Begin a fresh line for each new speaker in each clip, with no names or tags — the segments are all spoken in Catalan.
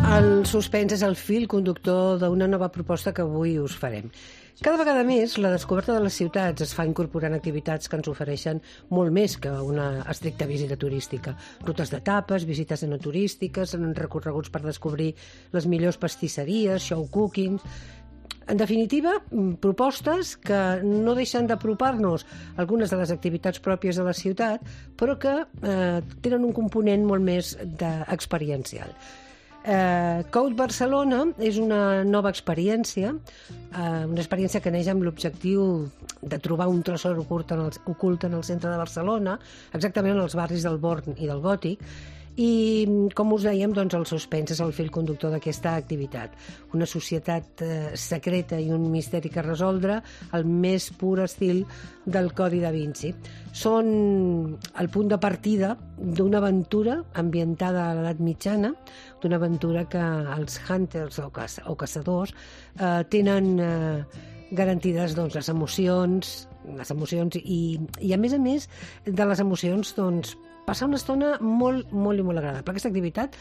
El suspens és el fil conductor d'una nova proposta que avui us farem. Cada vegada més, la descoberta de les ciutats es fa incorporant activitats que ens ofereixen molt més que una estricta visita turística. Rutes d'etapes, visites enoturístiques, recorreguts per descobrir les millors pastisseries, show cooking... En definitiva, propostes que no deixen d'apropar-nos a algunes de les activitats pròpies de la ciutat, però que tenen un component molt més experiencial. Code Barcelona és una nova experiència, una experiència que neix amb l'objectiu de trobar un tresor ocult en el centre de Barcelona, exactament en els barris del Born i del Gòtic, i, com us dèiem, doncs, el suspens és el fil conductor d'aquesta activitat. Una societat secreta i un misteri que resoldre al més pur estil del Codi da Vinci. Són el punt de partida d'una aventura ambientada a l'edat mitjana, d'una aventura que els hunters o caçadors tenen garantides les emocions i a més de les emocions, passar una estona molt, molt i molt agradable. Aquesta activitat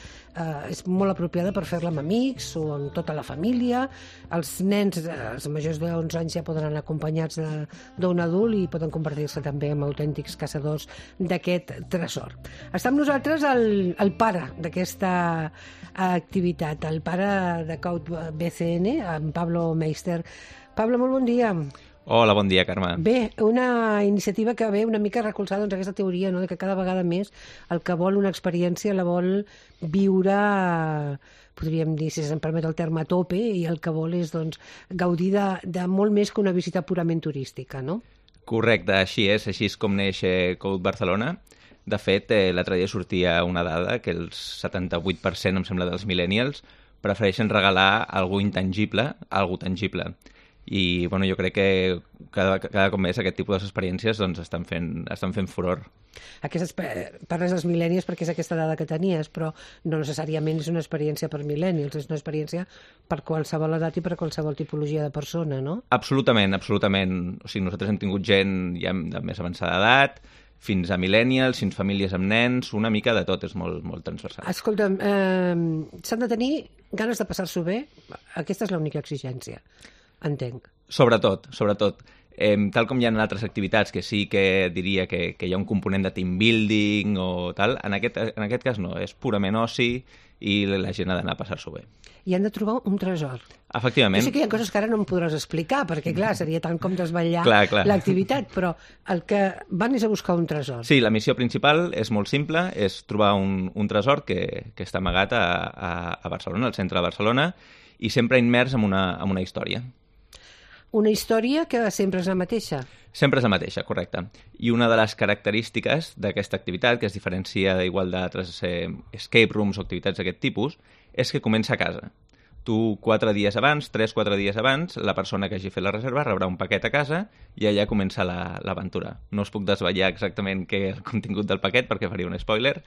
és molt apropiada per fer-la amb amics o amb tota la família. Els nens, els majors de 11 anys, ja poden anar acompanyats d'un adult i poden convertir-se també en autèntics caçadors d'aquest tresor. Està amb nosaltres el pare d'aquesta activitat, el pare de Code BCN, en Pablo Meister. Pablo, molt bon dia.
Hola, bon dia, Carme.
Bé, una iniciativa que ve una mica a recolzar aquesta teoria, no?, de que cada vegada més el que vol una experiència la vol viure, podríem dir, si se'm permet el terme, a tope, i el que vol és gaudir de molt més que una visita purament turística, no?
Correcte, així és com neix Code Barcelona. De fet, l'altre dia sortia una dada que el 78%, em sembla, dels millennials prefereixen regalar algú intangible a algú tangible. I jo crec que cada cop més aquest tipus d'experiències estan fent furor.
Parles dels millennials perquè és aquesta dada que tenies, però no necessàriament és una experiència per millennials, és una experiència per qualsevol edat i per qualsevol tipologia de persona, no?
Absolutament. O sigui, nosaltres hem tingut gent ja de més avançada edat, fins a millennials, fins famílies amb nens, una mica de tot, és molt, molt transversal.
Escolta'm, s'han de tenir ganes de passar-s'ho bé? Aquesta és l'única exigència. Entenc.
Sobretot. Tal com hi ha en altres activitats, que sí que diria que hi ha un component de team building o tal, en aquest cas no, és purament oci i la gent ha d'anar a passar-s'ho bé.
I han de trobar un tresor.
Efectivament.
Jo sé que hi ha coses que ara no em podràs explicar, perquè, clar, seria tant com desvetllar l'activitat, però el que van és a buscar un tresor.
Sí, la missió principal és molt simple, és trobar un tresor que està amagat a Barcelona, al centre de Barcelona, i sempre immers en una història.
Una història que sempre és la mateixa.
Sempre és la mateixa, correcte. I una de les característiques d'aquesta activitat, que es diferencia d'igual d'altres escape rooms o activitats d'aquest tipus, és que comença a casa. Tu 3-4 dies abans, la persona que hagi fet la reserva rebrà un paquet a casa i allà comença l'aventura. No us puc desvetllar exactament què és el contingut del paquet perquè faria un spoiler,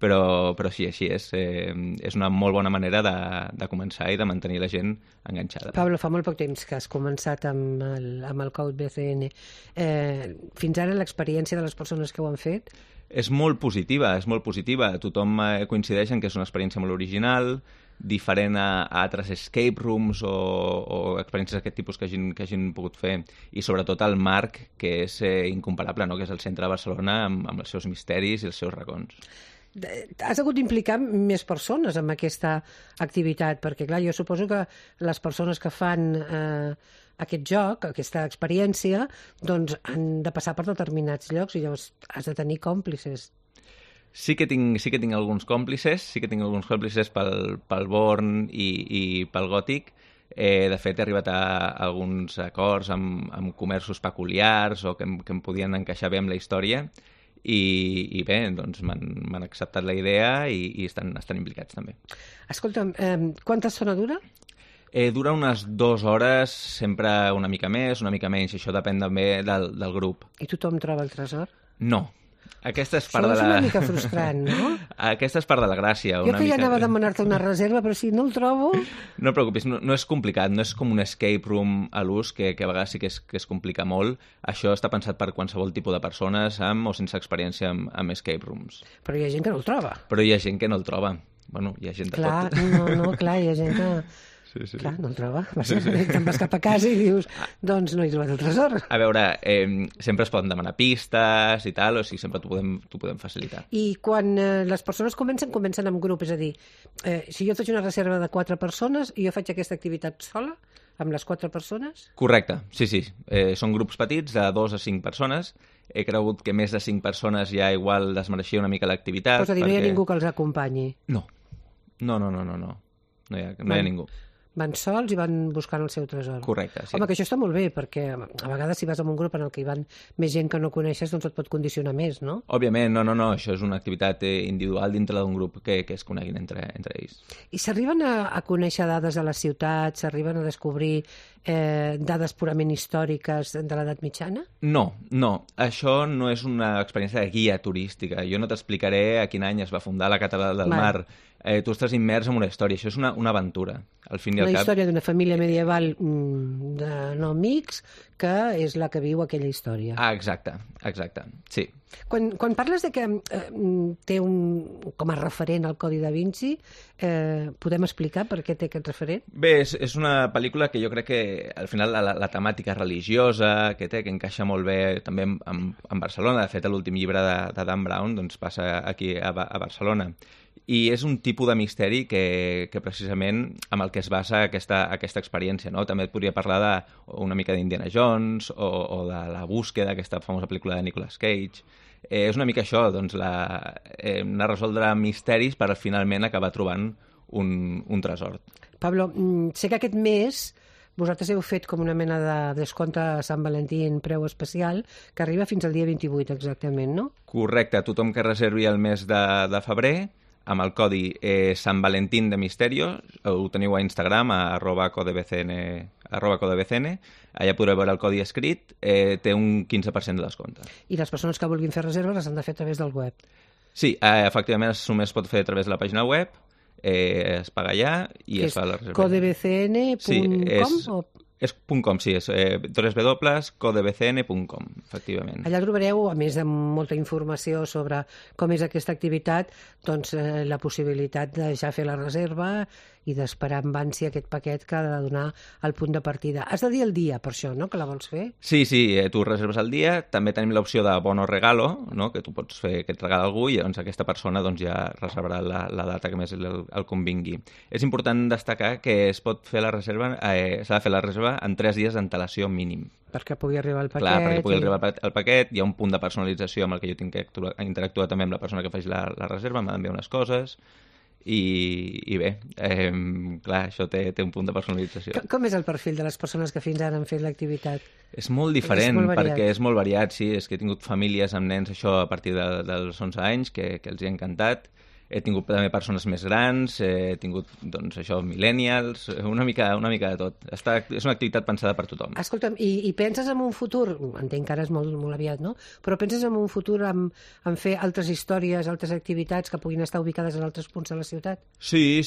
però sí, així és. És una molt bona manera de començar i de mantenir la gent enganxada.
Pablo, fa molt poc temps que has començat amb el Code BCN. Fins ara l'experiència de les persones que ho han fet?
És molt positiva. Tothom coincideix en que és una experiència molt original, diferent a altres escape rooms o experiències d'aquest tipus que hagin pogut fer, i sobretot el marc, que és incomparable, no?, que és el centre de Barcelona amb els seus misteris i els seus racons.
Has hagut d'implicar més persones en aquesta activitat, perquè, clar, jo suposo que les persones que fan aquest joc, aquesta experiència, doncs han de passar per determinats llocs i llavors has de tenir còmplices.
Sí que tinc alguns còmplices, pel Born i pel Gòtic. De fet, he arribat a alguns acords amb comerços peculiars o que em podien encaixar bé amb la història. I bé, doncs m'han acceptat la idea i estan implicats també.
Escolta'm, quanta estona dura?
Dura unes 2 hores, sempre una mica més, una mica menys, això depèn també del grup.
I tothom troba el tresor?
No. Aquesta és part
Això és una mica frustrant, no?
Aquesta és part de la gràcia.
Jo que ja anava a demanar-te una reserva, però si no el trobo...
No et preocupis, no és complicat, no és com un escape room a l'ús, que a vegades sí que es complica molt. Això està pensat per qualsevol tipus de persones amb o sense experiència amb escape rooms.
Però hi ha gent que no el troba.
Però hi ha gent que no el troba. Bueno, hi ha gent de
Clar,
tot.
clar, hi ha gent que...
Sí.
Clar, no el troba. Te'n vas cap a casa i dius, doncs no he trobat el tresor.
A veure, sempre es poden demanar pistes i tal, o sigui, sempre t'ho podem facilitar.
I quan les persones comencen amb grup, és a dir, si jo faig una reserva de 4 persones i jo faig aquesta activitat sola, amb les 4 persones?
Correcte, sí. Són grups petits de 2 a 5 persones. He cregut que més de 5 persones ja igual desmereixia una mica l'activitat.
És a dir, no hi ha ningú que els acompanyi?
No. No hi ha ningú.
Van sols i van buscant el seu tresor.
Correcte, sí.
Home, que això està molt bé, perquè a vegades si vas en un grup en el que hi van més gent que no coneixes, doncs et pot condicionar més, no?
Òbviament, no, això és una activitat individual dintre d'un grup que es coneguin entre ells.
I s'arriben a conèixer dades de la ciutat, s'arriben a descobrir dades purament històriques de l'edat mitjana?
No, això no és una experiència de guia turística. Jo no t'explicaré a quin any es va fundar la Catedral del Mar. Tu estàs immers en una història, això és una aventura. Al fin i al cap...
Una història d'una família medieval de no amics que és la que viu aquella història.
Ah, exacte, sí.
Quan parles de que té com a referent el Codi da Vinci, podem explicar per què té aquest referent?
Bé, és una pel·lícula que jo crec que al final la temàtica religiosa que té, que encaixa molt bé també en Barcelona. De fet, l'últim llibre de Dan Brown doncs, passa aquí a Barcelona. I és un tipus de misteri que precisament amb el que es basa aquesta experiència, no? També et podria parlar una mica d'Indiana Jones o de La búsqueda, aquesta famosa pel·lícula de Nicolas Cage. És una mica això, doncs, anar a resoldre misteris per finalment acabar trobant un tresor.
Pablo, sé que aquest mes vosaltres heu fet com una mena de descompte a Sant Valentí en preu especial que arriba fins al dia 28 exactament, no?
Correcte, tothom que reservi el mes de febrer amb el codi San Valentín de Misterio, ho teniu a Instagram, a @codebcn, allà podreu veure el codi escrit, té un 15% de descompte.
I les persones que vulguin fer reserves les han de fer a través del web?
Sí, efectivament només es pot fer a través de la pàgina web, es paga allà i es fa la reserva.
Codebcn.com?
És .com, sí, és www.codebcn.com, efectivament.
Allà trobareu, a més de molta informació sobre com és aquesta activitat, doncs la possibilitat de ja fer la reserva i d'esperar amb ànsia aquest paquet que ha de donar el punt de partida. Has de dir el dia, per això, no?, que la vols fer?
Sí, tu reserves el dia. També tenim l'opció de bono regalo, no?, que tu pots fer aquest regal a algú i doncs aquesta persona doncs, ja reservarà la data que més el convingui. És important destacar que es pot fer la reserva, s'ha de fer la reserva en 3 dies d'antelació mínim.
Perquè pugui arribar el paquet.
Clar, perquè pugui arribar el paquet, hi ha un punt de personalització amb el que jo tinc que interactuar també amb la persona que faci la reserva, m'ha d'enviar unes coses i bé, clar, això té un punt de personalització.
Com és el perfil de les persones que fins ara han fet l'activitat?
És molt diferent, perquè és molt variat, sí, és que he tingut famílies amb nens això a partir dels 11 anys que els hi ha encantat. He tingut també persones més grans, he tingut, doncs, això, millennials, una mica de tot. És una activitat pensada per tothom.
Escolta'm, i penses en un futur, entenc que ara és molt, molt aviat, no? Però penses en un futur en fer altres històries, altres activitats que puguin estar ubicades en altres punts de la ciutat?
Sí.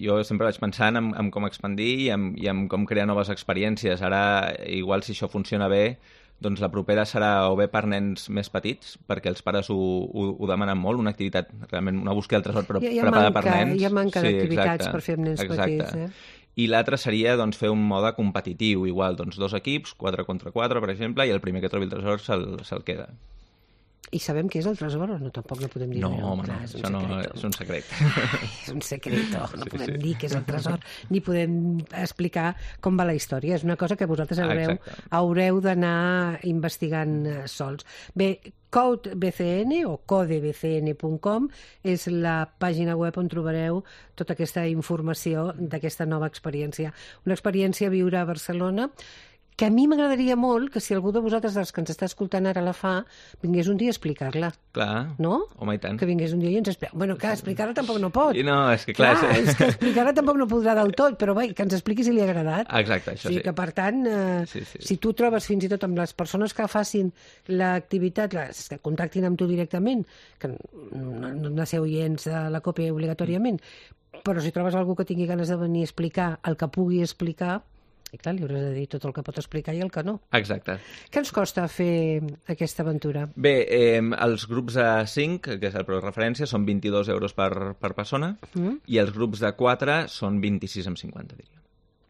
Jo sempre vaig pensant en com expandir i en com crear noves experiències. Ara, igual si això funciona bé, doncs la propera serà o bé per nens més petits, perquè els pares ho demanen molt, una activitat, realment una búsqueda del tresor, però preparada per nens.
Hi ha manca d'activitats per fer amb nens petits.
I l'altre seria doncs, fer un mode competitiu, igual, doncs 2 equips, 4 contra 4, per exemple, i el primer que trobi el tresor se'l queda.
I sabem què és el tresor o no? Tampoc no podem dir.
No, home, no, això no és un secret.
És un secreto, no podem dir què és el tresor, ni podem explicar com va la història. És una cosa que vosaltres haureu d'anar investigant sols. Bé, CodeBCN o codebcn.com és la pàgina web on trobareu tota aquesta informació d'aquesta nova experiència. Una experiència a viure a Barcelona que a mi m'agradaria molt que si algú de vosaltres dels que ens està escoltant ara la fa, vingués un dia a explicar-la.
Clar,
no?
Home, i tant.
Que vingués un dia i ens explica. Bueno, clar, explicar-la tampoc no pot.
I no, és que clar...
és que explicar-la tampoc no podrà del tot, però bé, que ens expliqui si li ha agradat.
Exacte, això sí.
Que per tant, si tu trobes fins i tot amb les persones que facin l'activitat, que contactin amb tu directament, que no han de ser oients de la còpia obligatòriament, però si trobes algú que tingui ganes de venir a explicar el que pugui explicar, I clar, li hauràs de dir tot el que pot explicar i el que no.
Exacte.
Què ens costa fer aquesta aventura?
Bé, els grups de 5, que és el preu de referència, són 22 euros per persona, i els grups de 4 són 26,50, diria.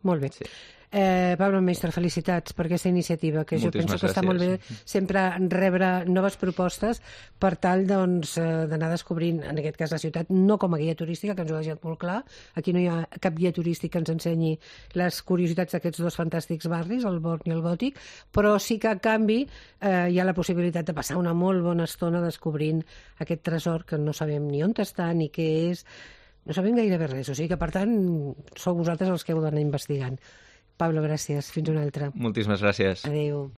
Molt bé. Sí. Pablo Mestre, felicitats per aquesta iniciativa, que jo penso que està molt bé sempre rebre noves propostes per tal d'anar descobrint, en aquest cas la ciutat, no com a guia turística, que ens ho ha deixat molt clar, aquí no hi ha cap guia turístic que ens ensenyi les curiositats d'aquests dos fantàstics barris, el Born i el Gòtic, però sí que a canvi hi ha la possibilitat de passar una molt bona estona descobrint aquest tresor que no sabem ni on està ni què és, no sabem gairebé res, o sigui que per tant sou vosaltres els que heu d'anar investigant. Pablo, gràcies. Fins una altra.
Moltíssimes gràcies.
Adéu.